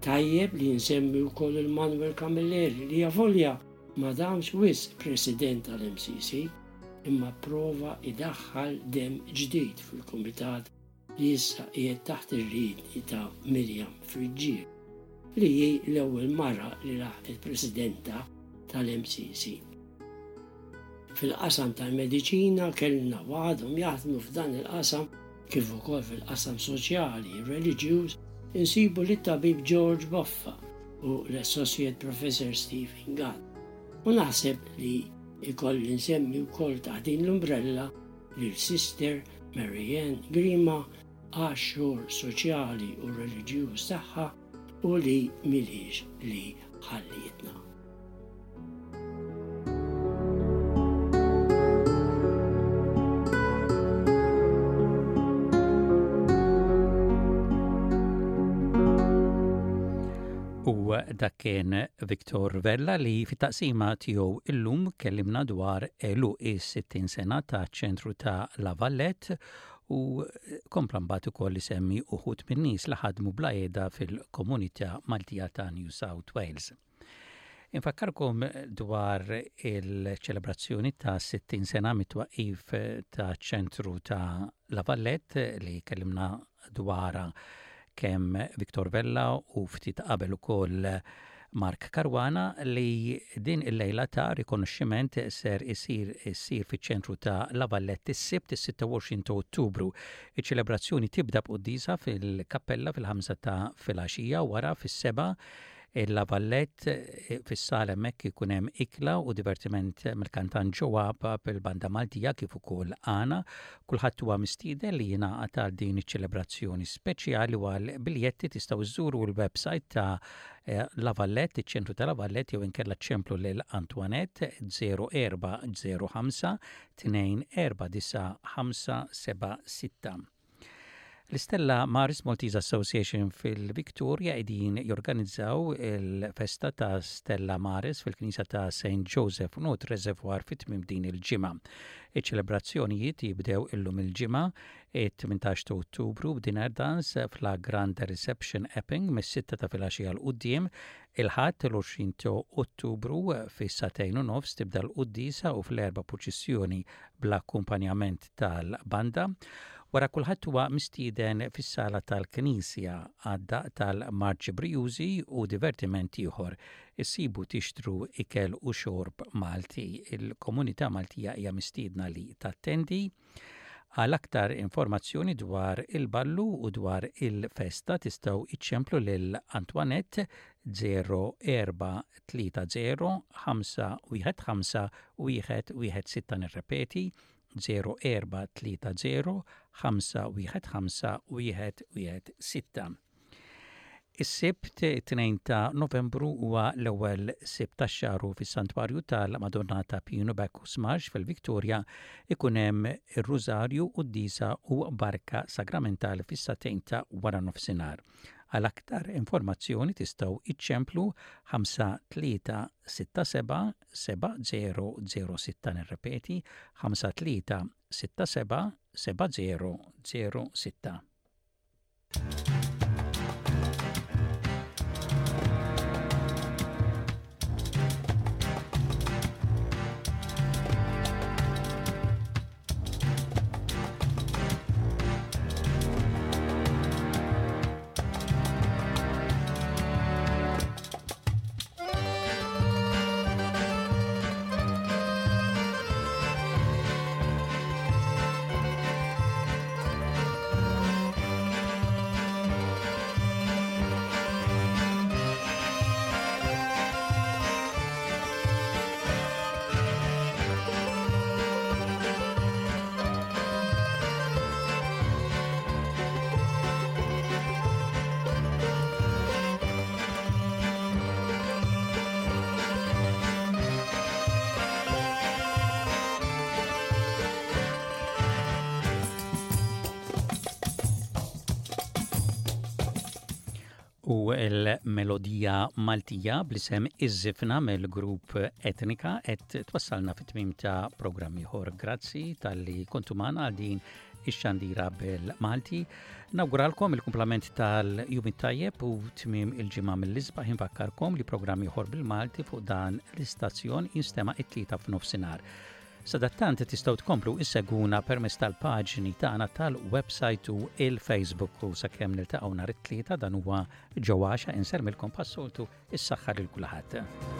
Tajjeb li nsemmi wkoll il-Manuel Camilleri li avolja ma damx wisq President tal-MCC imma pprova jdaħħal demm ġdid fil-kumitat li issa qiegħed taħt ir-riedni ta' Miriam Friggieri, li hi l-ewwel mara li laħqet Presidenta tal-MCC. Fil-qasam tal-mediċina kellna u għadhom jaħdmu f'dan il-qasam kif ukoll fil-qasam soċjali, reliġjuż, insibu lit-tabib George Boffa u l-Associate Professor Stephen Gatt. U naħseb li jkolli nsemmi wkoll taħt din l-umbrella lil Sister Mary Ann Grima għax-xogħol soċjali u reliġjuż tagħha u li m'ilhiex li ħallietna. U dak kien Victor Vella li fit-taqsima tiegħu illum kellimna dwar għeluq is-60 sena ta' ċentru ta' La Valette u kompla mbagħad ukoll isemmi uħud min-nies li ħadmu bla qiegħda fil-komunità Maltija ta' New South Wales. Infakkarkom dwar il-ċelebrazzjoni ta' 60 sena mit-twaqqif ta' ċentru ta' La Vallette li kellimna dwarha kemm Victor Vella u ftit qabel ukoll Mark Caruana li din il-lejla ta' rikonoxximent ser isir issir fiċ-ċentru ta' La Vallette is-Sibt is-26 ta' Ottubru. Iċ-ċelebrazzjoni tibda b'quddiesa fil-kappella fil-ħamsa ta' filgħaxija wara fis-sebgħa Il-La Vallette fis-sala hemmhekk ikun hemm ikla u divertiment mill-kantant Joe Apap, il-Banda Maltija kif ukoll Għana. Kulħadd huwa mistieden li jingħaqad għal din iċ-ċelebrazzjoni speċjali u għal biljetti tistgħu żżuru l-website ta' La Vallette, iċ-ċentru ta' La Vallette jew inkella ċemplu lil Antoinette 0405 249 576. L-Istella Maris Maltese Association fil-Victoria qegħdin jorganizzaw il-festa ta' Stella Maris fil-Knisja ta' St. Joseph North Reservoir fi tmiem din il-ġimgħa. Iċ-ċelebrazzjonijiet jibdew illum il-Ġimgħa, it-18 ta' Ottubru b'dinner dance f'La Grande Reception Epping mis-sitta ta' filgħaxija 'l quddiem. Il-Ħadd, l-20 ta' Ottubru, fis-sagħtejn u nofs tibda l-quddiesa u fl-erbgħa purċissjoni bl-akkumpanjament tal-banda. Wara kulħadd huwa mistieden fis-sala tal-Knisja għad-daqq tal-marċi brijużi u divertiment ieħor. Issibu tixtru ikel u xorb Malti. Il-komunità Maltija hija mistiedna li tattendi. Għal aktar informazzjoni dwar il-ballu u dwar il-festa tistgħu iċċemplu lil Antoinette 0430 515 116 nirrepeti 0430 515 116. Is-Sibt, 2 ta' Novembru huwa l-ewwel Sibt tax-xahar u fis-Santwarju tal-Madonna ta' Pinu Bacchus Marsh fil-Victoria ikun hemm ir-Rużarju, quddiesa u barka sagramentali fis-sagħtejn ta' waranofsinhar. Għal aktar informazzjoni tistgħu iċċemplu 5367 7006 nirrepeti 5367 7006. U l-melodija Maltija bl-isem Iż-Żifna mill-grupp Etnika qed twassalna fit-tmiem ta' programm ieħor. Grazzi talli kontu magħna għal din ix-xandira bil-Malti. Nawguralkom il-kumplament tal-jum it-tajjeb u tmiem il-ġimgħa mill-isbaħ infakkarkom li programm ieħor bil-Malti fuq dan l-istazzjon jinstema' it-tlieta f'nofsinhar. Sadattant tistgħu tkomplu issegwuna permezz tal-paġni tagħna tal-website u il-Facebook u sakemm niltaqgħu nhar it-tlieta dan huwa ġewwaxa insermilkom bħas-soltu is-saħħa lil kulħadd.